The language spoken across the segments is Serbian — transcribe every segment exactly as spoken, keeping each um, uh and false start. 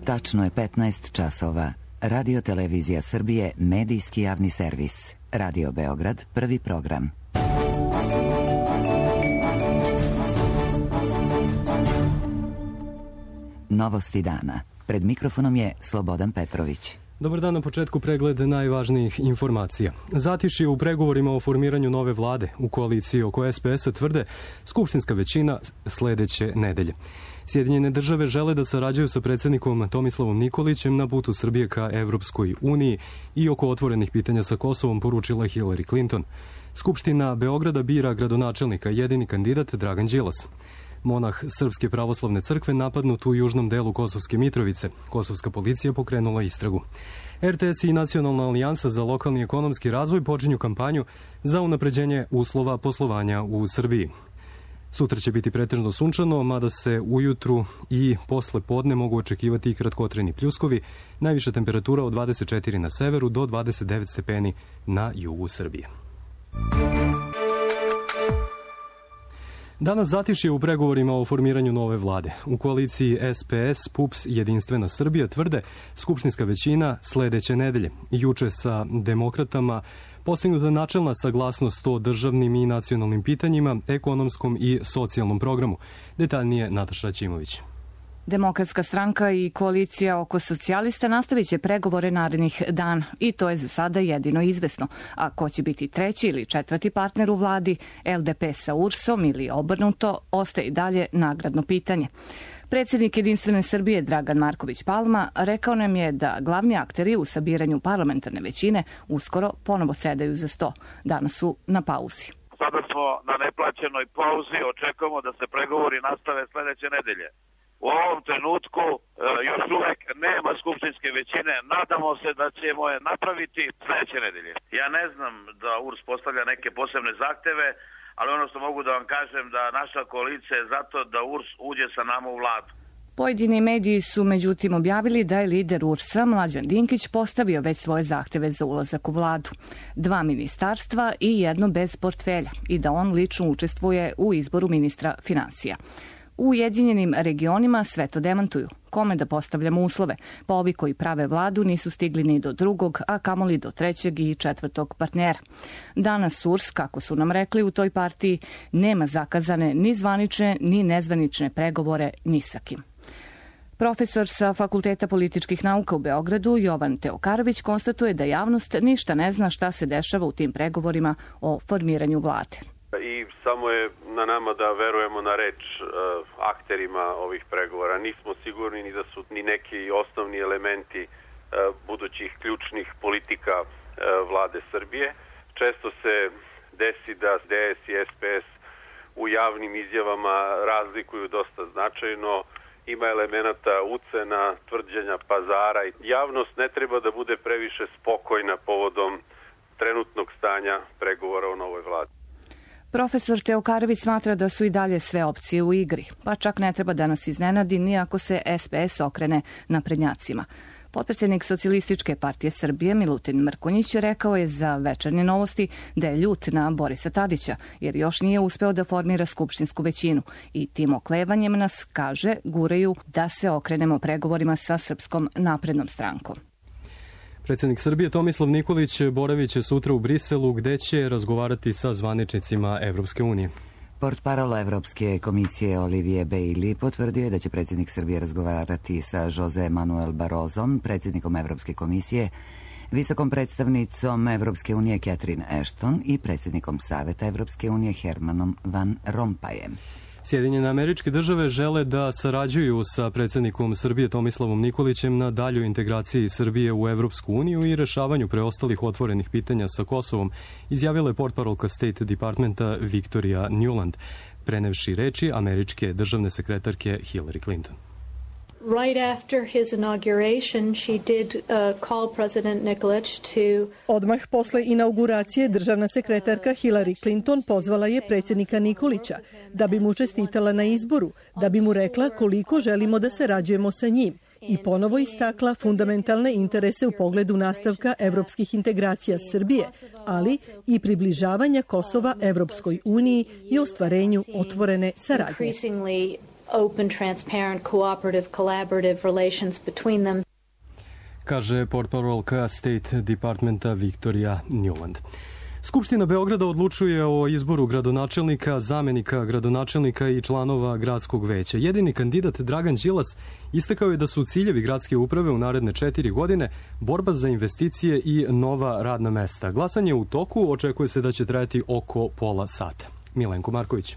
Tačno je petnaest časova. Radio Televizija Srbije, medijski javni servis. Radio Beograd, prvi program. Novosti dana. Pred mikrofonom je Slobodan Petrović. Dobar dan, na početku pregled najvažnijih informacija. Zatišje u pregovorima o formiranju nove vlade u koaliciji oko es pe es-a tvrde skupštinska većina sledeće nedelje. Sjedinjene države žele da sarađuju sa predsjednikom Tomislavom Nikolićem na putu Srbije ka Evropskoj uniji i oko otvorenih pitanja sa Kosovom, poručila Hillary Clinton. Skupština Beograda bira gradonačelnika, jedini kandidat Dragan Đilas. Monah Srpske pravoslavne crkve napadnut u južnom delu Kosovske Mitrovice. Kosovska policija pokrenula istragu. er te es i Nacionalna alijansa za lokalni ekonomski razvoj počinju kampanju za unapređenje uslova poslovanja u Srbiji. Sutra će biti pretežno sunčano, mada se ujutru i posle podne mogu očekivati i kratkotrajni pljuskovi, najviša temperatura od dvadeset četiri na severu do dvadeset devet stepeni na jugu Srbije. Danas zatišje u pregovorima o formiranju nove vlade. U koaliciji es pe es, P U P S, Jedinstvena Srbija tvrde skupštinska većina sledeće nedelje. Juče sa demokratama postignuta načelna saglasnost o državnim i nacionalnim pitanjima, ekonomskom i socijalnom programu. Detaljnije Nataša Ćimović. Demokratska stranka i koalicija oko socijalista nastavit će pregovore narednih dana i to je za sada jedino izvesno. A ko će biti treći ili četvrti partner u vladi, el de pe sa U R S-om ili obrnuto, ostaje i dalje nagradno pitanje. Predsjednik Jedinstvene Srbije Dragan Marković Palma rekao nam je da glavni akteri u sabiranju parlamentarne većine uskoro ponovo sedaju za sto. Danas su na pauzi. Sada smo na neplaćenoj pauzi, očekujemo da se pregovori nastave sledeće nedelje. U ovom trenutku e, još uvek nema skupštinske većine, nadamo se da ćemo je napraviti sledeće nedelje. Ja ne znam da U R S postavlja neke posebne zahteve, ali ono što mogu da vam kažem da naša koalicija je zato da U R S uđe sa nama u vladu. Pojedini mediji su međutim objavili da je lider U R S-a Mlađan Dinkić postavio već svoje zahteve za ulazak u vladu. Dva ministarstva i jedno bez portfelja i da on lično učestvuje u izboru ministra finansija. U Ujedinjenim regionima sve to demantuju. Kome da postavljamo uslove? Pa ovi koji prave vladu nisu stigli ni do drugog, a kamoli do trećeg i četvrtog partnera. Danas U R S, kako su nam rekli u toj partiji, nema zakazane ni zvanične ni nezvanične pregovore ni sa kim. Profesor sa Fakulteta političkih nauka u Beogradu, Jovan Teokarović, konstatuje da javnost ništa ne zna šta se dešava u tim pregovorima o formiranju vlade. I samo je na nama da verujemo na reč uh, akterima ovih pregovora. Nismo sigurni ni da su ni neki osnovni elementi uh, budućih ključnih politika uh, vlade Srbije. Često se desi da de es i es pe es u javnim izjavama razlikuju dosta značajno. Ima elemenata ucena, tvrđenja pazara. Javnost ne treba da bude previše spokojna povodom trenutnog stanja pregovora o novoj vladi. Profesor Teokarović smatra da su i dalje sve opcije u igri, pa čak ne treba da nas iznenadi ni ako se es pe es okrene naprednjacima. Potpredsjednik Socijalističke partije Srbije Milutin Mrkonjić rekao je za Večernje novosti da je ljut na Borisa Tadića, jer još nije uspeo da formira skupštinsku većinu i tim oklevanjem nas, kaže, guraju da se okrenemo pregovorima sa Srpskom naprednom strankom. Predsjednik Srbije Tomislav Nikolić boravit će sutra u Briselu, gde će razgovarati sa zvaničnicima Evropske unije. Portparol Evropske komisije Olivier Bailey potvrdio je da će predsjednik Srbije razgovarati sa Jose Manuel Barrosom, predsjednikom Evropske komisije, visokom predstavnicom Evropske unije Catherine Ashton i predsjednikom Saveta Evropske unije Hermanom Van Rompuyem. Sjedinjene Američke Države žele da sarađuju sa predsjednikom Srbije Tomislavom Nikolićem na daljoj integraciji Srbije u Evropsku uniju i rešavanju preostalih otvorenih pitanja sa Kosovom, izjavila je portparolka State Departmenta Victoria Nuland, prenevši reči američke državne sekretarke Hillary Clinton. Right after his inauguration, she did uh, call President Nikolić to... Odmah posle inauguracije državna sekretarka Hillary Clinton pozvala je predsjednika Nikolića da bi mu čestitala na izboru, da bi mu rekla koliko želimo da sarađujemo sa njim i ponovo istakla fundamentalne interese u pogledu nastavka evropskih integracija Srbije, ali i približavanja Kosova Evropskoj uniji i ostvarenju otvorene saradnje. open, transparent, cooperative, collaborative relations between them. Kaže portparolka State Departmenta Victoria Newland. Skupština Beograda odlučuje o izboru gradonačelnika, zamenika gradonačelnika i članova gradskog veća. Jedini kandidat Dragan Đilas istakao je da su ciljevi gradske uprave u naredne četiri godine borba za investicije i nova radna mesta. Glasanje u toku, očekuje se da će trajati oko pola sata. Milenko Marković.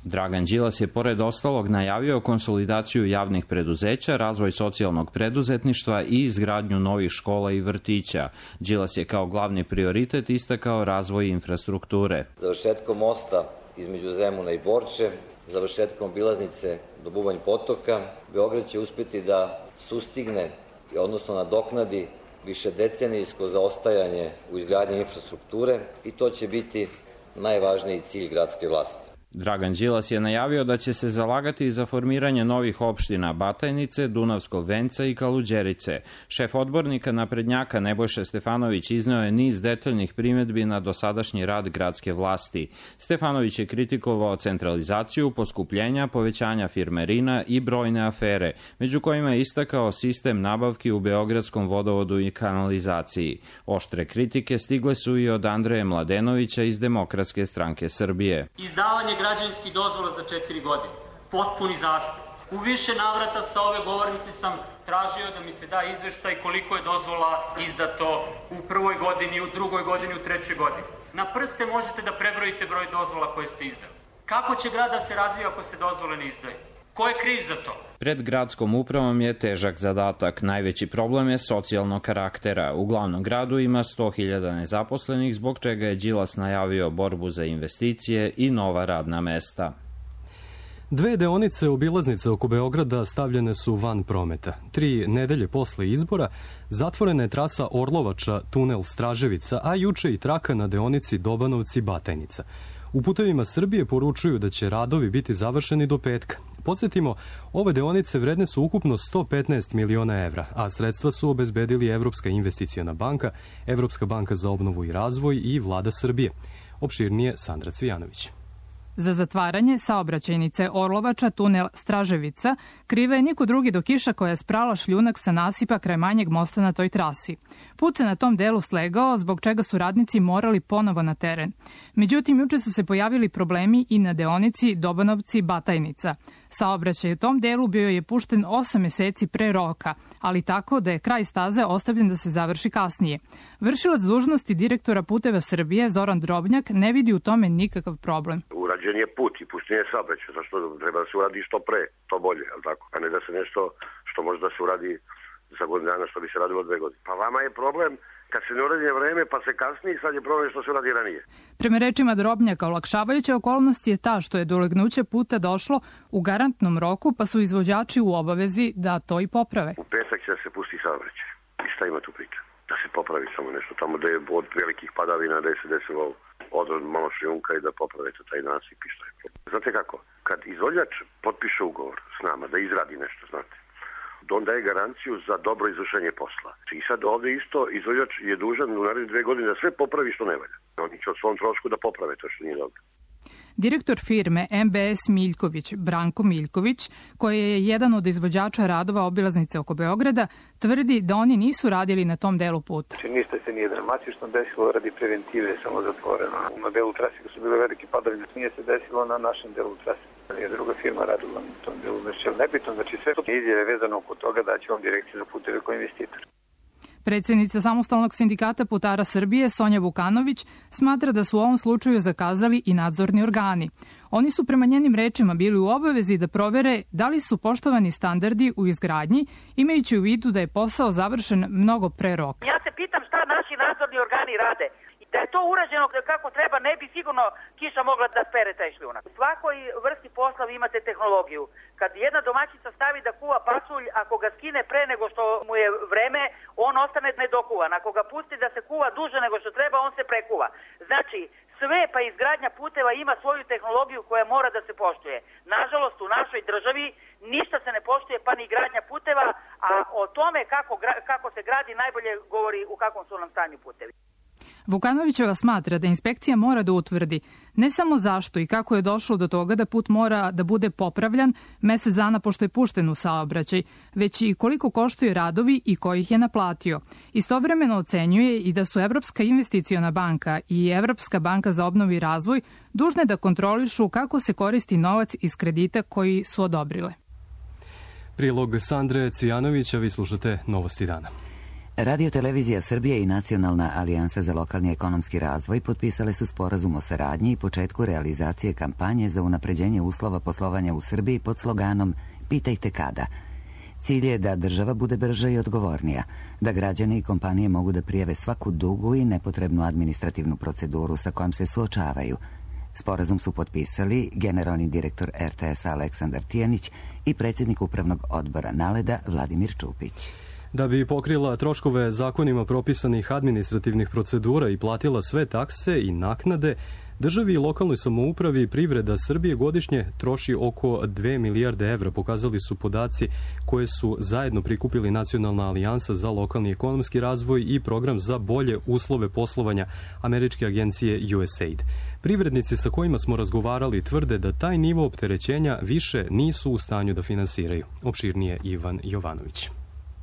Dragan Đilas je pored ostalog najavio konsolidaciju javnih preduzeća, razvoj socijalnog preduzetništva i izgradnju novih škola i vrtića. Đilas je kao glavni prioritet istakao razvoj infrastrukture. Završetkom mosta između Zemuna i Borče, završetkom obilaznice do Bubanj potoka, Beograd će uspeti da sustigne, odnosno nadoknadi višedecenijsko zaostajanje u izgradnji infrastrukture i to će biti najvažniji cilj gradske vlasti. Dragan Đilas je najavio da će se zalagati za formiranje novih opština Batajnice, Dunavskog venca i Kaluđerice. Šef odbornika naprednjaka Nebojša Stefanović izneo je niz detaljnih primedbi na dosadašnji rad gradske vlasti. Stefanović je kritikovao centralizaciju, poskupljenja, povećanja firmerina i brojne afere, među kojima je istakao sistem nabavki u Beogradskom vodovodu i kanalizaciji. Oštre kritike stigle su i od Andreje Mladenovića iz Demokratske stranke Srbije. Izdavanje građevinskih dozvola za četiri godine. Potpuni zastoj. U više navrata sa ove govornice sam tražio da mi se da izveštaj koliko je dozvola izdato u prvoj godini, u drugoj godini, u trećoj godini. Na prste možete da prebrojite broj dozvola koje ste izdali. Kako će grad da se razvija ako se dozvole ne izdaju? Ko je kriv za to? Pred gradskom upravom je težak zadatak. Najveći problem je socijalnog karaktera. U glavnom gradu ima sto hiljada nezaposlenih, zbog čega je Đilas najavio borbu za investicije i nova radna mesta. Dve deonice obilaznice oko Beograda stavljene su van prometa. Tri nedelje posle izbora zatvorena je trasa Orlovača, tunel Straževica, a juče i traka na deonici Dobanovci-Batajnica. U Putevima Srbije poručuju da će radovi biti završeni do petka. Podsjetimo, ove deonice vredne su ukupno sto petnaest miliona evra, a sredstva su obezbedili Evropska investiciona banka, Evropska banka za obnovu i razvoj i Vlada Srbije. Opširnije Sandra Cvijanović. Za zatvaranje saobraćajnice Orlovača, tunel Straževica, kriva je niko drugi do kiša koja je sprala šljunak sa nasipa kraj manjeg mosta na toj trasi. Put se na tom delu slegao, zbog čega su radnici morali ponovo na teren. Međutim, juče su se pojavili problemi i na deonici Dobanovci-Batajnica. Saobraćaj u tom delu bio je pušten osam meseci pre roka, ali tako da je kraj staze ostavljen da se završi kasnije. Vršilac dužnosti direktora Puteva Srbije, Zoran Drobnjak, ne vidi u tome nikakav problem. Urađen je put i pušten je saobraćaj, zašto treba da se uradi što pre, to bolje, ali tako, a ne da se nešto što može da se uradi za godinu dana, što bi se radilo dve godine. Pa vama je problem kad se ne uradi vreme, pa se kasnije, sad je problem što se uradi ranije. Prema rečima Drobnjaka, olakšavajuća okolnost je ta što je do ulegnuća puta došlo u garantnom roku, pa su izvođači u obavezi da to i poprave. U petak će da se pusti saobraćaj. I šta ima tu priča? Da se popravi samo nešto tamo da je od velikih padavina, da je se desilo odrod malo šljunka i da popravite taj nasip i što je. Znate kako? Kad izvođač potpiše ugovor s nama da izradi nešto, znate, on daje garanciju za dobro izvršenje posla. I sad ovde isto izvođač je dužan u naredne dve godine da sve popravi što ne valja. Oni će od svom trošku da poprave to što nije dobro. Direktor firme M B S Miljković, Branko Miljković, koji je jedan od izvođača radova obilaznice oko Beograda, tvrdi da oni nisu radili na tom delu puta. Ništa se nije dramatično desilo radi preventive, samo zatvoreno. Na delu trase su bile velike padavine, nije se desilo na našem delu trase. Je druga firma radila na tom delu, znači nebitno, znači sve to izjave vezano oko toga da će on direkciju za puteve kao investitor. Predsednica Samostalnog sindikata putara Srbije, Sonja Vukanović, smatra da su u ovom slučaju zakazali i nadzorni organi. Oni su prema njenim rečima bili u obavezi da provere da li su poštovani standardi u izgradnji, imajući u vidu da je posao završen mnogo pre roka. Ja se pitam šta naši nadzorni organi rade. Da je to urađeno kako treba, ne bi sigurno kiša mogla da spere taj šljunak. U svakoj vrsti posla vi imate tehnologiju. Kad jedna domaćica stavi da kuva pasulj, ako ga skine pre nego što mu je vreme, on ostane nedokuvan. Ako ga pusti da se kuva duže nego što treba, on se prekuva. Znači, sve pa izgradnja puteva ima svoju tehnologiju koja mora da se poštuje. Nažalost, u našoj državi ništa se ne poštuje, pa ni gradnja puteva, a o tome kako, kako se gradi najbolje govori u kakvom su nam stanju putevi. Vukanovićeva smatra da inspekcija mora da utvrdi ne samo zašto i kako je došlo do toga da put mora da bude popravljan mesec dana pošto je pušten u saobraćaj, već i koliko koštaju radovi i ko ih je naplatio. Istovremeno ocenjuje i da su Evropska investiciona banka i Evropska banka za obnovu i razvoj dužne da kontrolišu kako se koristi novac iz kredita koji su odobrile. Prilog Sandre Cvijanovića, vi slušate Novosti dana. Radio Televizija Srbije i Nacionalna alijansa za lokalni ekonomski razvoj potpisale su sporazum o saradnji i početku realizacije kampanje za unapređenje uslova poslovanja u Srbiji pod sloganom Pitajte kada. Cilj je da država bude brža i odgovornija, da građani i kompanije mogu da prijave svaku dugu i nepotrebnu administrativnu proceduru sa kojom se suočavaju. Sporazum su potpisali generalni direktor er te es-a Aleksandar Tijanić i predsjednik upravnog odbora Naleda Vladimir Čupić. Da bi pokrila troškove zakonima propisanih administrativnih procedura i platila sve takse i naknade, državi i lokalnoj samoupravi privreda Srbije godišnje troši oko dve milijarde evra, pokazali su podaci koje su zajedno prikupili Nacionalna alijansa za lokalni ekonomski razvoj i program za bolje uslove poslovanja američke agencije U S A I D. Privrednici sa kojima smo razgovarali tvrde da taj nivo opterećenja više nisu u stanju da finansiraju. Opširnije Ivan Jovanović.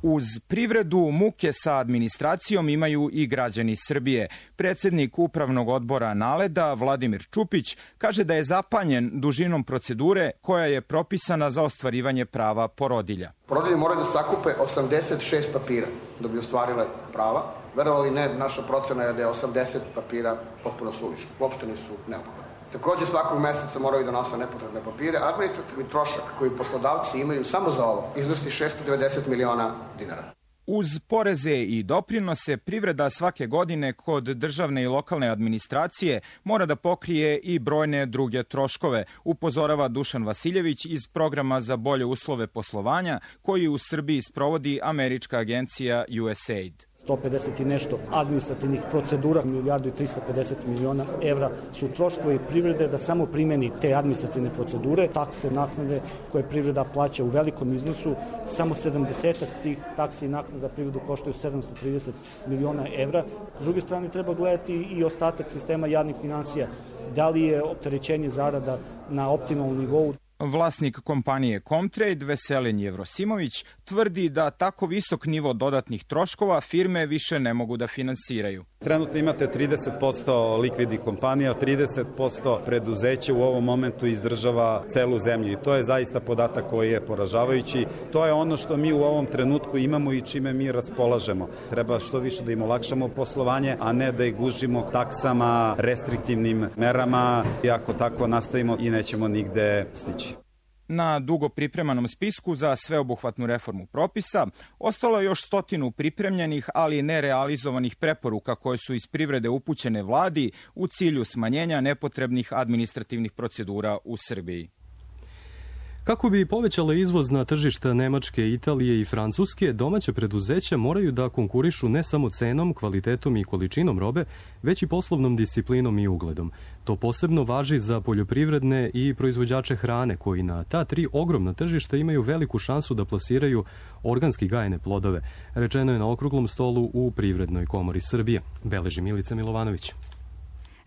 Uz privredu muke sa administracijom imaju i građani Srbije. Predsjednik upravnog odbora Naleda, Vladimir Čupić, kaže da je zapanjen dužinom procedure koja je propisana za ostvarivanje prava porodilja. Porodilje moraju da sakupe osamdeset šest papira da bi ostvarile prava. Verovali ne, naša procena je da je osamdeset papira potpuno suvišno. Uopšte nisu neophodni. Također svakog meseca moraju da nose nepotrebne papire. Administrativni trošak koji poslodavci imaju samo za ovo iznosi šesto devedeset miliona dinara. Uz poreze i doprinose, privreda svake godine kod državne i lokalne administracije mora da pokrije i brojne druge troškove, upozorava Dušan Vasiljević iz programa za bolje uslove poslovanja koji u Srbiji sprovodi američka agencija U S A I D. sto pedeset i nešto administrativnih procedura, milijardu i trista pedeset miliona evra su troškovi privrede da samo primeni te administrativne procedure, takse, naknade koje privreda plaća u velikom iznosu, samo sedamdeset tih taksi i naknada privredu koštaju sedamsto trideset miliona evra. S druge strane treba gledati i ostatak sistema javnih finansija, da li je opterećenje zarada na optimalnom nivou. Vlasnik kompanije Comtrade, Veselin Jevrosimović, tvrdi da tako visok nivo dodatnih troškova firme više ne mogu da finansiraju. Trenutno imate trideset posto likvidnih kompanija, trideset posto preduzeća u ovom momentu izdržava celu zemlju i to je zaista podatak koji je poražavajući. To je ono što mi u ovom trenutku imamo i čime mi raspolažemo. Treba što više da im olakšamo poslovanje, a ne da ih gužimo taksama, restriktivnim merama i ako tako nastavimo i nećemo nigde stići. Na dugo pripremanom spisku za sveobuhvatnu reformu propisa ostalo je još stotinu pripremljenih, ali nerealizovanih preporuka koje su iz privrede upućene vladi u cilju smanjenja nepotrebnih administrativnih procedura u Srbiji. Kako bi povećale izvoz na tržišta Nemačke, Italije i Francuske, domaće preduzeća moraju da konkurišu ne samo cenom, kvalitetom i količinom robe, već i poslovnom disciplinom i ugledom. To posebno važi za poljoprivredne i proizvođače hrane, koji na ta tri ogromna tržišta imaju veliku šansu da plasiraju organski gajene plodove, rečeno je na okruglom stolu u Privrednoj komori Srbije, beleži Milica Milovanović.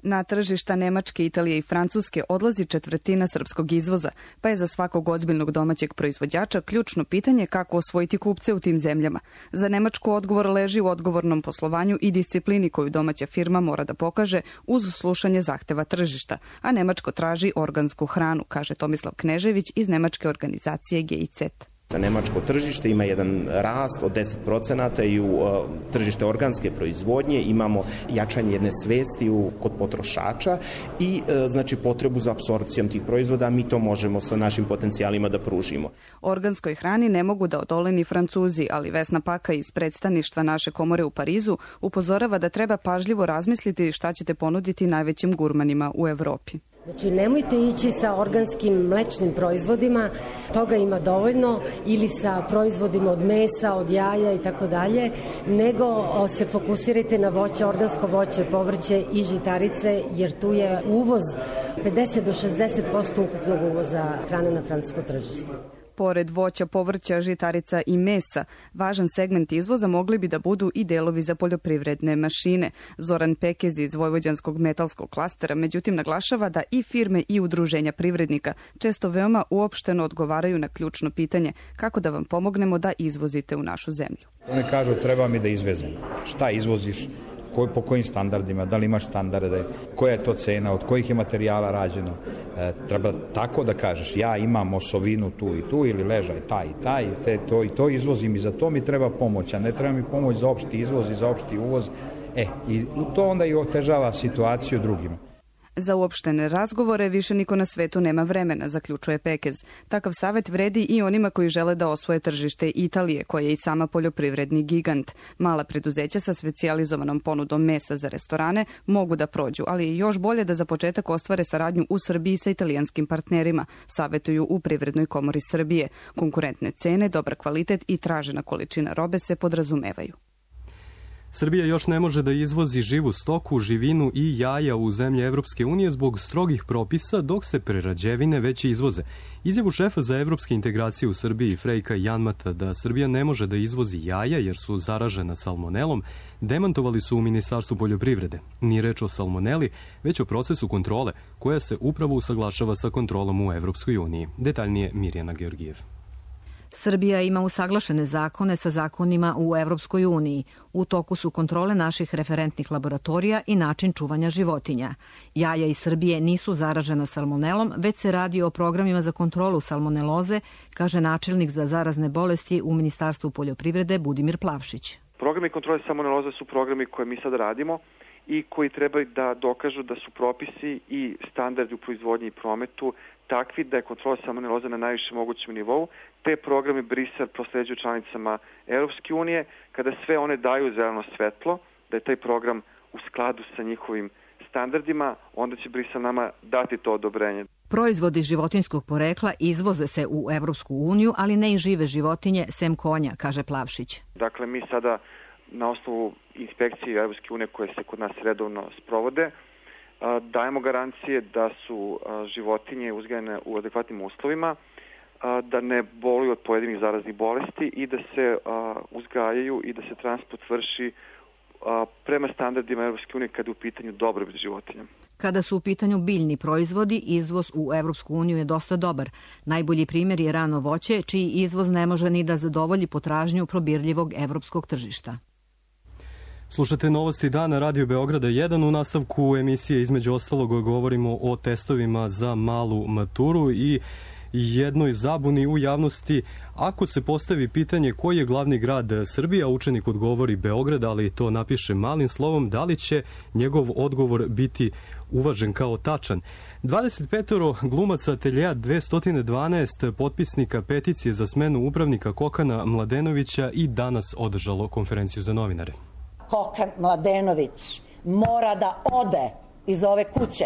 Na tržišta Nemačke, Italije i Francuske odlazi četvrtina srpskog izvoza, pa je za svakog ozbiljnog domaćeg proizvođača ključno pitanje kako osvojiti kupce u tim zemljama. Za Nemačku odgovor leži u odgovornom poslovanju i disciplini koju domaća firma mora da pokaže uz slušanje zahteva tržišta, a Nemačko traži organsku hranu, kaže Tomislav Knežević iz nemačke organizacije G I Z. Nemačko tržište ima jedan rast od deset procenata i u uh, tržište organske proizvodnje imamo jačanje jedne svesti u, kod potrošača i uh, znači potrebu za apsorpcijom tih proizvoda, mi to možemo sa našim potencijalima da pružimo. Organskoj hrani ne mogu da odole ni Francuzi, ali Vesna Paka iz predstavništva naše komore u Parizu upozorava da treba pažljivo razmisliti šta ćete ponuditi najvećim gurmanima u Evropi. Znači, nemojte ići sa organskim mlečnim proizvodima, toga ima dovoljno, ili sa proizvodima od mesa, od jaja i tako dalje, nego se fokusirajte na voće, organsko voće, povrće i žitarice, jer tu je uvoz pedeset do šezdeset posto ukupnog uvoza hrane na francusko tržište. Pored voća, povrća, žitarica i mesa, važan segment izvoza mogli bi da budu i delovi za poljoprivredne mašine. Zoran Pekez iz Vojvođanskog metalskog klastera međutim naglašava da i firme i udruženja privrednika često veoma uopšteno odgovaraju na ključno pitanje kako da vam pomognemo da izvozite u našu zemlju. Oni kažu treba mi da izvezem. Šta izvoziš? Ko, po kojim standardima, da li imaš standarde, koja je to cena, od kojih je materijala rađeno. E, treba tako da kažeš, ja imam osovinu tu i tu ili ležaj taj i taj, te, to i to izvozim i za to mi treba pomoć, a ne treba mi pomoć za opšti izvoz i za opšti uvoz. E, i to onda i otežava situaciju drugima. Za uopštene razgovore više niko na svetu nema vremena, zaključuje Pekez. Takav savjet vredi i onima koji žele da osvoje tržište Italije, koja je i sama poljoprivredni gigant. Mala preduzeća sa specijalizovanom ponudom mesa za restorane mogu da prođu, ali je još bolje da za početak ostvare saradnju u Srbiji sa italijanskim partnerima, savjetuju u Privrednoj komori Srbije. Konkurentne cene, dobar kvalitet i tražena količina robe se podrazumevaju. Srbija još ne može da izvozi živu stoku, živinu i jaja u zemlje Evropske unije zbog strogih propisa, dok se prerađevine već izvoze. Izjavu šefa za evropske integracije u Srbiji, Frejka Janmata, da Srbija ne može da izvozi jaja jer su zaražena salmonelom, demantovali su u Ministarstvu poljoprivrede. Nije reč o salmoneli, već o procesu kontrole, koja se upravo usaglašava sa kontrolom u Evropskoj uniji. Detaljnije Mirjana Georgijev. Srbija ima usaglašene zakone sa zakonima u Evropskoj uniji. U toku su kontrole naših referentnih laboratorija i način čuvanja životinja. Jaja iz Srbije nisu zaražena salmonelom, već se radi o programima za kontrolu salmoneloze, kaže načelnik za zarazne bolesti u Ministarstvu poljoprivrede Budimir Plavšić. Programi kontrole salmoneloze su programi koje mi sad radimo i koji trebaju da dokažu da su propisi i standardi u proizvodnji i prometu takvi da je kontrola salmoneloze na najvišem mogućem nivou. Te programe Brisel prosleđuju članicama Europske unije. Kada sve one daju zeleno svetlo, da je taj program u skladu sa njihovim standardima, onda će Brisel nama dati to odobrenje. Proizvodi životinjskog porekla izvoze se u Evropsku uniju, ali ne i žive životinje, sem konja, kaže Plavšić. Dakle, mi sada na osnovu inspekcije Evropske unije koje se kod nas redovno sprovode, dajemo garancije da su životinje uzgajane u adekvatnim uslovima, da ne boluju od pojedinih zaraznih bolesti i da se uzgajaju i da se transport vrši prema standardima Evropske unije kada je u pitanju dobrobit životinja. Kada su u pitanju biljni proizvodi, izvoz u Evropsku uniju je dosta dobar. Najbolji primjer je rano voće, čiji izvoz ne može ni da zadovolji potražnju probirljivog evropskog tržišta. Slušate Novosti dana Radio Beograda jedan. U nastavku emisije između ostalog govorimo o testovima za malu maturu i jednoj zabuni u javnosti. Ako se postavi pitanje koji je glavni grad Srbije, a učenik odgovori Beograd, ali to napiše malim slovom, da li će njegov odgovor biti uvažen kao tačan? dvadeset pet glumaca ateljeja dvesta dvanaest potpisnika peticije za smenu upravnika Kokana Mladenovića i danas održalo konferenciju za novinare. Kokan Mladenović mora da ode iz ove kuće.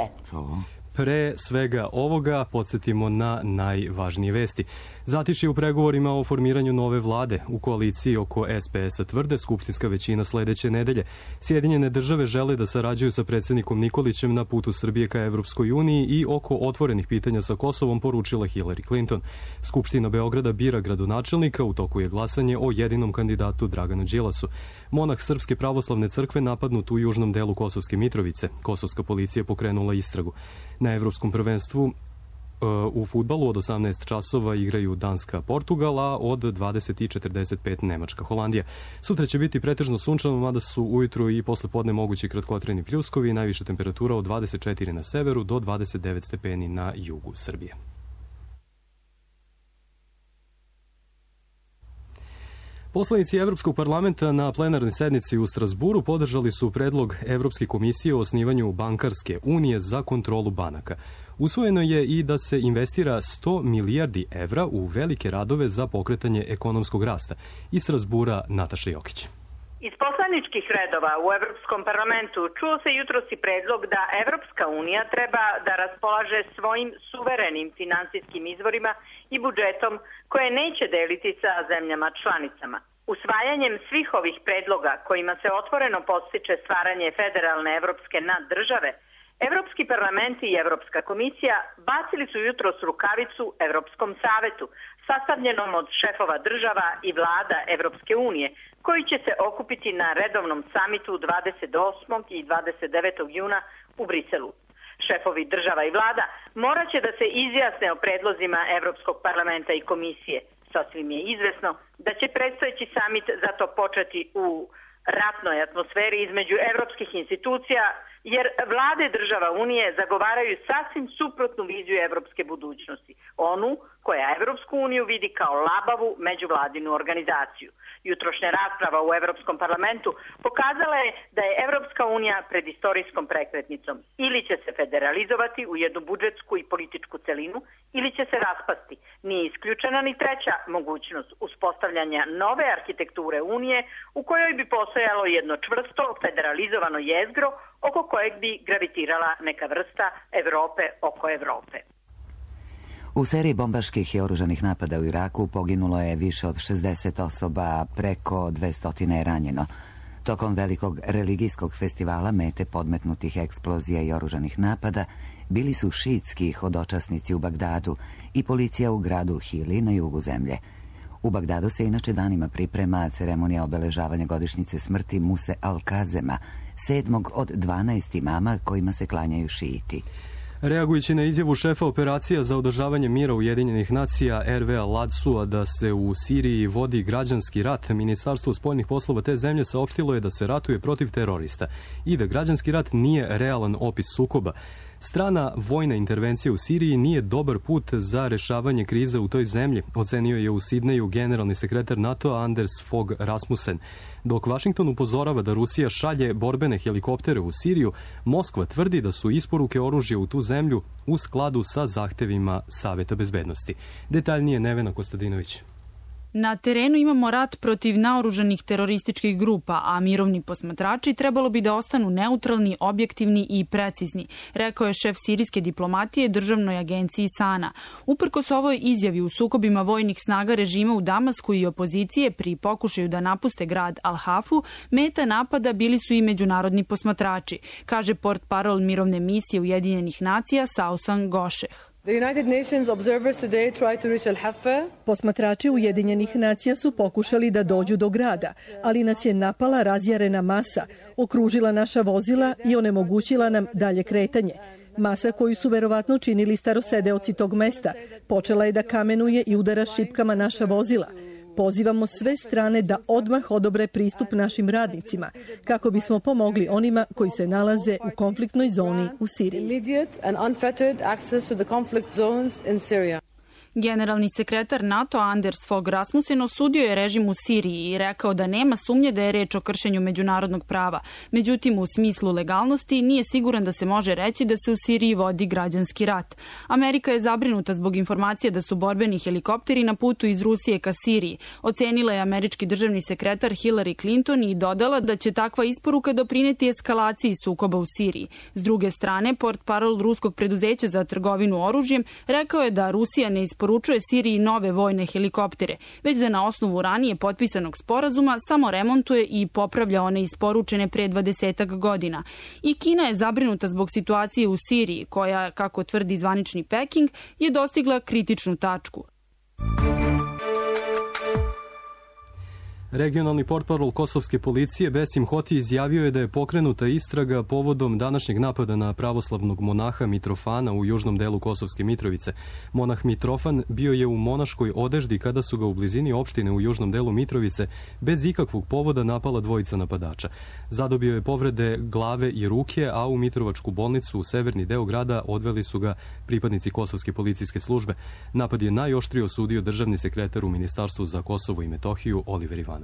Pre svega ovoga podsjetimo na najvažnije vesti. Zatišje u pregovorima o formiranju nove vlade. U koaliciji oko es pe es-a tvrde skupštinska većina sledeće nedelje. Sjedinjene države žele da sarađuju sa predsjednikom Nikolićem na putu Srbije ka Evropskoj uniji i oko otvorenih pitanja sa Kosovom, poručila Hillary Clinton. Skupština Beograda bira gradonačelnika, u toku je glasanje o jedinom kandidatu Draganu Đilasu. Monah Srpske pravoslavne crkve napadnut u južnom delu Kosovske Mitrovice. Kosovska policija pokrenula istragu. Na Evropskom prvenstvu u fudbalu od osamnaest časova igraju Danska Portugal, a od dvadeset i četrdeset pet Nemačka Holandija. Sutra će biti pretežno sunčano, mada su ujutru i posle podne mogući kratkotrajni pljuskovi, najviša temperatura od dvadeset četiri na severu do dvadeset devet stepeni na jugu Srbije. Poslanici Evropskog parlamenta na plenarnoj sednici u Strasburu podržali su predlog Evropske komisije o osnivanju bankarske unije za kontrolu banaka. Usvojeno je i da se investira sto milijardi evra u velike radove za pokretanje ekonomskog rasta. Iz Strasbura Nataša Jokić. Iz poslaničkih redova u Evropskom parlamentu čuo se jutros i predlog da Evropska unija treba da raspolaže svojim suverenim finansijskim izvorima i budžetom koje neće deliti sa zemljama članicama. Usvajanjem svih ovih predloga kojima se otvoreno podstiče stvaranje federalne evropske naddržave, Evropski parlament i Evropska komisija bacili su jutros rukavicu Evropskom savetu, sastavljenom od šefova država i vlada Evropske unije, koji će se okupiti na redovnom samitu dvadeset osmog i dvadeset devetog juna u Briselu. Šefovi država i vlada morat će da se izjasne o predlozima Evropskog parlamenta i komisije. Sasvim je izvesno da će predstojeći samit zato početi u ratnoj atmosferi između evropskih institucija, jer vlade država Unije zagovaraju sasvim suprotnu viziju evropske budućnosti, onu koja Evropsku uniju vidi kao labavu međuvladinu organizaciju. Jutrošnja rasprava u Evropskom parlamentu pokazala je da je Evropska unija pred istorijskom prekretnicom. Ili će se federalizovati u jednu budžetsku i političku celinu, ili će se raspasti. Nije isključena ni treća mogućnost uspostavljanja nove arhitekture Unije u kojoj bi postojalo jedno čvrsto federalizovano jezgro oko kojeg bi gravitirala neka vrsta Evrope oko Evrope. U seriji bombaških i oružanih napada u Iraku poginulo je više od šezdeset osoba, a preko dvesta je ranjeno. Tokom velikog religijskog festivala mete podmetnutih eksplozija i oružanih napada bili su šiitski hodočasnici u Bagdadu i policija u gradu Hili na jugu zemlje. U Bagdadu se inače danima priprema ceremonija obeležavanja godišnjice smrti Muse Al-Kazema, sedmog od dvanaest imama kojima se klanjaju šiiti. Reagujući na izjavu šefa operacija za održavanje mira Ujedinjenih nacija Ervea Ladsua da se u Siriji vodi građanski rat, Ministarstvo spoljnih poslova te zemlje saopštilo je da se ratuje protiv terorista i da građanski rat nije realan opis sukoba. Strana vojna intervencija u Siriji nije dobar put za rešavanje krize u toj zemlji, ocenio je u Sidneju generalni sekretar NATO-a Anders Fogh Rasmussen. Dok Vašington upozorava da Rusija šalje borbene helikoptere u Siriju, Moskva tvrdi da su isporuke oružja u tu zemlju u skladu sa zahtevima Saveta bezbednosti. Detaljnije Nevena Kostadinović. Na terenu imamo rat protiv naoružanih terorističkih grupa, a mirovni posmatrači trebalo bi da ostanu neutralni, objektivni i precizni, rekao je šef sirijske diplomatije državnoj agenciji Sana. Uprkos ovoj izjavi u sukobima vojnih snaga režima u Damasku i opozicije pri pokušaju da napuste grad Al-Hafu, meta napada bili su i međunarodni posmatrači, kaže portparol mirovne misije Ujedinjenih nacija Sausan Gošeh. Posmatrači Ujedinjenih nacija su pokušali da dođu do grada, ali nas je napala razjarena masa, okružila naša vozila i onemogućila nam dalje kretanje. Masa koju su verovatno činili starosedeoci tog mesta počela je da kamenuje i udara šipkama naša vozila. Pozivamo sve strane da odmah odobre pristup našim radnicima kako bismo pomogli onima koji se nalaze u konfliktnoj zoni u Siriji. Generalni sekretar NATO Anders Fogh Rasmussen osudio je režim u Siriji i rekao da nema sumnje da je reč o kršenju međunarodnog prava. Međutim, u smislu legalnosti nije siguran da se može reći da se u Siriji vodi građanski rat. Amerika je zabrinuta zbog informacije da su borbeni helikopteri na putu iz Rusije ka Siriji. Ocenila je američki državni sekretar Hillary Clinton i dodala da će takva isporuka doprineti eskalaciji sukoba u Siriji. S druge strane, portparol ruskog preduzeća za trgovinu oružjem rekao je da Rusija ne isporučuje Siriji nove vojne helikoptere, već da na osnovu ranije potpisanog sporazuma samo remontuje i popravlja one isporučene pre dvadesetak godina. I Kina je zabrinuta zbog situacije u Siriji, koja, kako tvrdi zvanični Peking, je dostigla kritičnu tačku. Regionalni portparol kosovske policije Besim Hoti izjavio je da je pokrenuta istraga povodom današnjeg napada na pravoslavnog monaha Mitrofana u južnom delu Kosovske Mitrovice. Monah Mitrofan bio je u monaškoj odeždi kada su ga u blizini opštine u južnom delu Mitrovice bez ikakvog povoda napala dvojica napadača. Zadobio je povrede glave i ruke, a u Mitrovačku bolnicu u severni deo grada odveli su ga pripadnici Kosovske policijske službe. Napad je najoštrije osudio državni sekretar u Ministarstvu za Kosovo i Metohiju Oliver Ivanović.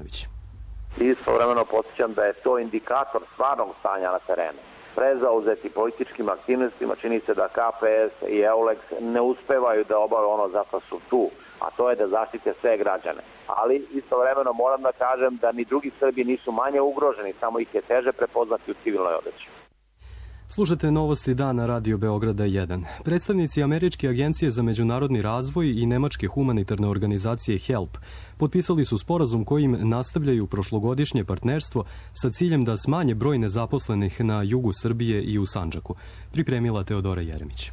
Istovremeno podsjećam da je to indikator stvarnog stanja na terenu. Prezauzeti političkim aktivnostima čini se da K P S i EULEX ne uspevaju da obave ono zato su tu, a to je da zaštite sve građane. Ali istovremeno moram da kažem da ni drugi Srbi nisu manje ugroženi, samo ih je teže prepoznati u civilnoj odeći. Slušate novosti dana Radio Beograda jedan. Predstavnici Američke agencije za međunarodni razvoj i nemačke humanitarne organizacije HELP potpisali su sporazum kojim nastavljaju prošlogodišnje partnerstvo sa ciljem da smanje broj nezaposlenih na jugu Srbije i u Sandžaku. Pripremila Teodora Jeremić.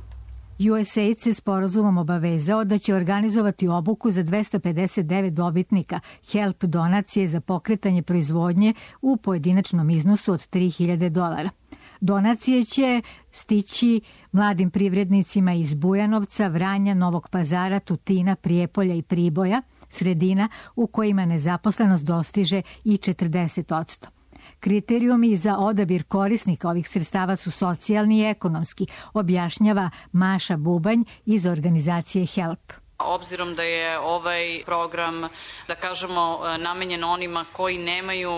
U S A I D se sporazumom obavezao da će organizovati obuku za dvesta pedeset devet dobitnika HELP donacije za pokretanje proizvodnje u pojedinačnom iznosu od tri hiljade dolara. Donacije će stići mladim privrednicima iz Bujanovca, Vranja, Novog Pazara, Tutina, Prijepolja i Priboja, sredina u kojima nezaposlenost dostiže i četrdeset odsto. Kriterijumi za odabir korisnika ovih sredstava su socijalni i ekonomski, objašnjava Maša Bubanj iz organizacije HELP. Obzirom da je ovaj program, da kažemo, namenjen onima koji nemaju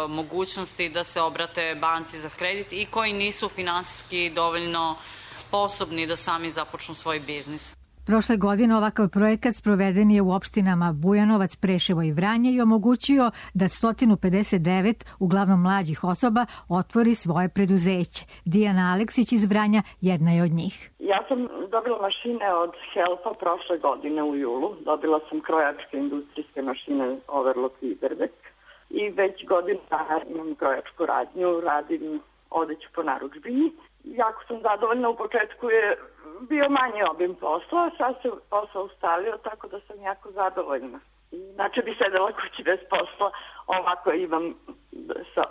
mogućnosti da se obrate banci za kredit i koji nisu finansijski dovoljno sposobni da sami započnu svoj biznis. Prošle godine ovakav projekat sproveden je u opštinama Bujanovac, Preševo i Vranje i omogućio da sto pedeset devet, uglavnom mlađih osoba, otvori svoje preduzeće. Dijana Aleksić iz Vranja jedna je od njih. Ja sam dobila mašine od HELP-a prošle godine u julu. Dobila sam krojačke industrijske mašine Overlock i Iberbeck i već godinu dana imam krojačku radnju, radim odeću po narudžbini. Jako sam zadovoljna, u početku je bio manji obim posla, sad se posao ustalio, tako da sam jako zadovoljna. Inače bi sedela kući bez posla, ovako imam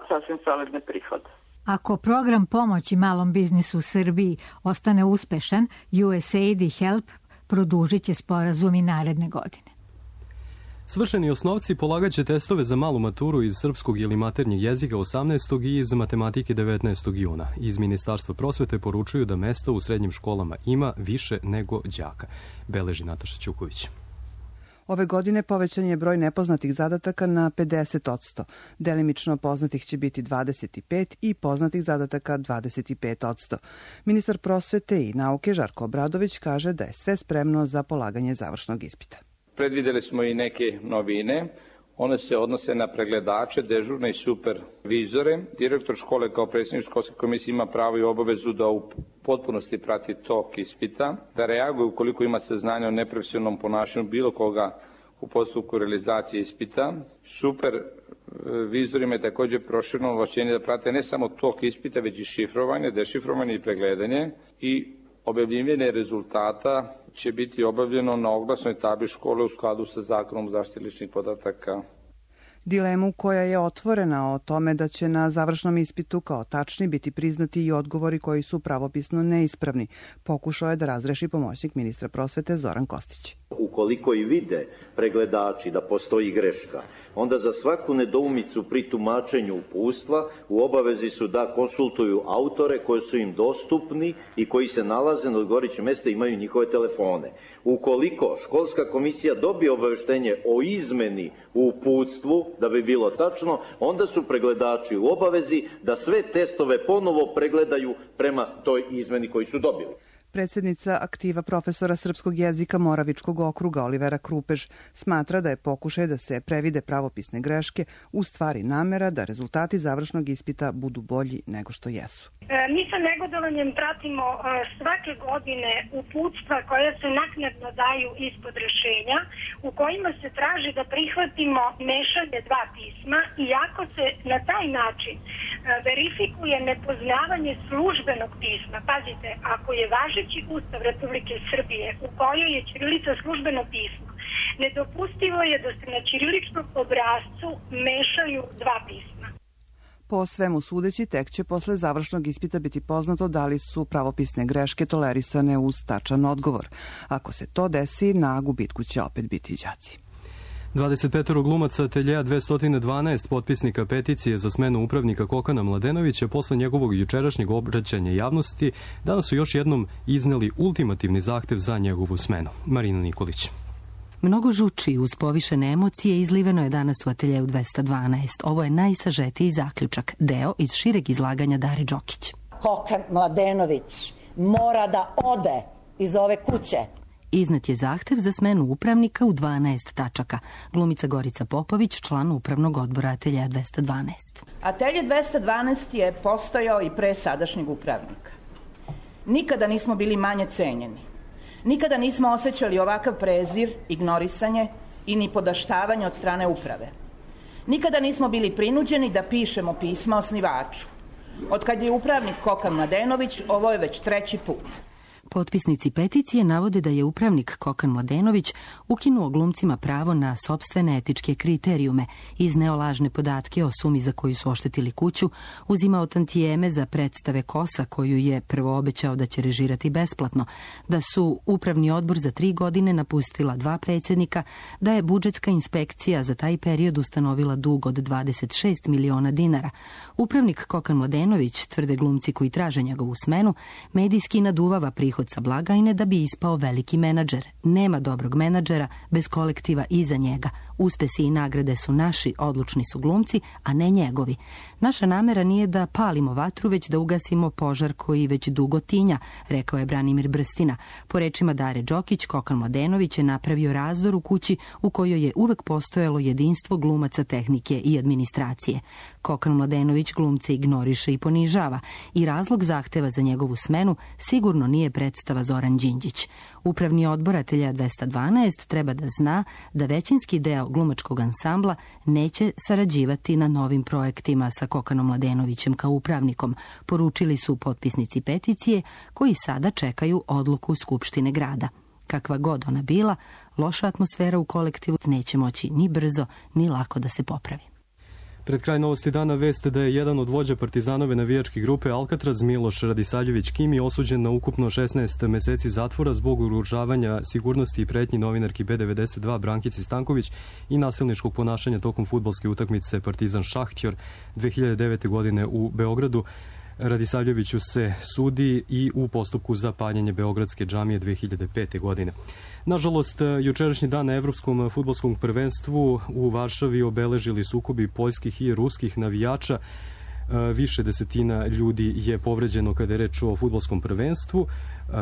sasvim solidne prihode. Ako program pomoći malom biznisu u Srbiji ostane uspešan, U S A I D i HELP produžit će sporazum i naredne godine. Svršeni osnovci polagaće testove za malu maturu iz srpskog ili maternjeg jezika osamnaestog i iz matematike devetnaestog juna. Iz Ministarstva prosvete poručuju da mesta u srednjim školama ima više nego đaka. Beleži Nataša Ćuković. Ove godine povećan je broj nepoznatih zadataka na pedeset odsto. Delimično poznatih će biti dvadeset pet i poznatih zadataka dvadeset pet odsto. Ministar prosvete i nauke Žarko Obradović kaže da je sve spremno za polaganje završnog ispita. Predvideli smo i neke novine. One se odnose na pregledače, dežurne i supervizore. Direktor škole kao predsjednik školske komisije ima pravo i obavezu da u potpunosti prati tok ispita, da reaguje ukoliko ima saznanja o neprofesionalnom ponašanju bilo koga u postupku realizacije ispita. Supervizorima je također prošireno ovlašćenje da prate ne samo tok ispita, već i šifrovanje, dešifrovanje i pregledanje i objavljivanje rezultata će biti obavljeno na oglasnoj tabli škole u skladu sa Zakonom o zaštiti ličnih podataka. Dilemu koja je otvorena o tome da će na završnom ispitu kao tačni biti priznati i odgovori koji su pravopisno neispravni, pokušao je da razreši pomoćnik ministra prosvete Zoran Kostić. Ukoliko i vide pregledači da postoji greška, onda za svaku nedoumicu pri tumačenju uputstva u obavezi su da konsultuju autore koji su im dostupni i koji se nalaze na odgovarajućem mjestu i imaju njihove telefone. Ukoliko školska komisija dobije obaveštenje o izmeni u uputstvu, da bi bilo tačno, onda su pregledači u obavezi da sve testove ponovo pregledaju prema toj izmeni koju su dobili. Predsjednica aktiva profesora srpskog jezika Moravičkog okruga Olivera Krupež smatra da je pokušaj da se previde pravopisne greške u stvari namera da rezultati završnog ispita budu bolji nego što jesu. Mi sa negodovanjem pratimo svake godine uputstva koja se naknadno daju ispod rešenja u kojima se traži da prihvatimo mešanje dva pisma i ako se na taj način verifikuje nepoznavanje službenog pisma. Pazite, ako je važeći Ustav Republike Srbije u kojoj je ćirilica službeno pismo, nedopustivo je da se na ćiriličnom obrascu mešaju dva pisma. Po svemu sudeći, tek će posle završnog ispita biti poznato da li su pravopisne greške tolerisane uz tačan odgovor. Ako se to desi, na gubitku će opet biti đaci. dvadeset pet glumaca Ateljea dvesta dvanaest potpisnika peticije za smenu upravnika Kokana Mladenovića posle njegovog jučerašnjeg obraćanja javnosti danas su još jednom izneli ultimativni zahtev za njegovu smenu. Marina Nikolić. Mnogo žuči uz povišene emocije izliveno je danas u Ateljeu dvesta dvanaest. Ovo je najsažetiji zaključak, deo iz šireg izlaganja Dare Đokić. Kokan Mladenović mora da ode iz ove kuće. Iznet je zahtev za smenu upravnika u dvanaest tačaka. Glumica Gorica Popović, član upravnog odbora Ateljeja dvesta dvanaest. Atelje dvesta dvanaest je postojao i pre sadašnjeg upravnika. Nikada nismo bili manje cenjeni. Nikada nismo osjećali ovakav prezir, ignorisanje i ni podaštavanje od strane uprave. Nikada nismo bili prinuđeni da pišemo pisma osnivaču. Od kad je upravnik Kokan Mladenović, ovo je već treći put. Potpisnici peticije navode da je upravnik Kokan Mladenović ukinuo glumcima pravo na sopstvene etičke kriterijume, izneo lažne podatke o sumi za koju su oštetili kuću, uzimao tantijeme za predstave Kosa koju je prvo obećao da će režirati besplatno, da su upravni odbor za tri godine napustila dva predsjednika, da je budžetska inspekcija za taj period ustanovila dug od dvadeset šest miliona dinara. Upravnik Kokan Mladenović, tvrde glumci koji traže njegovu smenu, medijski naduvava prihod sa blagajne da bi ispao veliki menadžer. Nema dobrog menadžera bez kolektiva iza njega. Uspesi i nagrade su naši, odlučni su glumci, a ne njegovi. Naša namera nije da palimo vatru, već da ugasimo požar koji već dugo tinja, rekao je Branimir Brstina. Po rečima Dare Đokić, Kokan Mladenović je napravio razdor u kući u kojoj je uvek postojalo jedinstvo glumaca, tehnike i administracije. Kokan Mladenović glumce ignoriše i ponižava i razlog zahteva za njegovu smenu sigurno nije predstava Zoran Đinđić. Upravni odbor Ateljeja dvesta dvanaest treba da zna da većinski deo glumačkog ansambla neće sarađivati na novim projektima sa Kokanom Mladenovićem kao upravnikom, poručili su potpisnici peticije koji sada čekaju odluku Skupštine grada. Kakva god ona bila, loša atmosfera u kolektivu neće moći ni brzo ni lako da se popravi. Pred kraj Novosti dana vest da je jedan od vođa Partizanove navijačke grupe Alcatraz, Miloš Radisavljević Kimi, osuđen na ukupno šesnaest meseci zatvora zbog ugrožavanja sigurnosti i pretnji novinarki B devedeset dva Brankici Stanković i nasilničkog ponašanja tokom fudbalske utakmice Partizan Šahtjor dve hiljade devete. godine u Beogradu. Radisavljeviću se sudi i u postupku za paljenje Beogradske džamije dve hiljade pete. godine. Nažalost, jučerašnji dan na Evropskom fudbalskom prvenstvu u Varšavi obeležili sukobi poljskih i ruskih navijača. Više desetina ljudi je povređeno kada je reč o fudbalskom prvenstvu.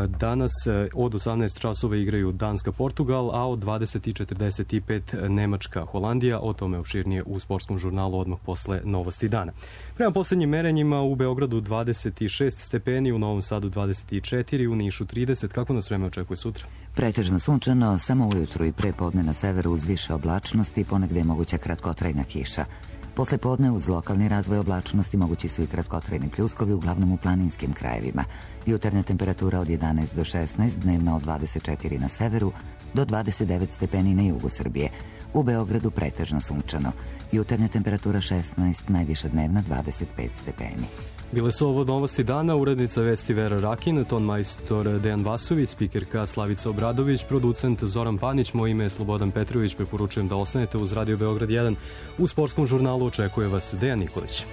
Danas od osamnaest časova igraju Danska-Portugal, a od dvadeset i četrdeset pet Nemačka-Holandija. O tome opširnije u sportskom žurnalu odmah posle Novosti dana. Prema poslednjim merenjima u Beogradu dvadeset šest stepeni, u Novom Sadu dvadeset četiri, u Nišu trideset. Kako nas vreme očekuje sutra? Pretežno sunčano, samo ujutru i pre podne na severu uz više oblačnosti, ponegde je moguća kratkotrajna kiša. Posle podne uz lokalni razvoj oblačnosti mogući su i kratkotrajni pljuskovi, uglavnom u planinskim krajevima. Jutarnja temperatura od jedanaest do šesnaest, dnevna od dvadeset četiri na severu do dvadeset devet stepeni na jugu Srbije. U Beogradu pretežno sunčano. Jutarnja temperatura šesnaest, najviša dnevna dvadeset pet stepeni. Bile su ovo Novosti dana, urednica vesti Vera Rakin, ton majstor Dejan Vasović, spikerka Slavica Obradović, producent Zoran Panić, moje ime je Slobodan Petrović, preporučujem da ostanete uz Radio Beograd jedan. U sportskom žurnalu očekuje vas Dejan Nikolić.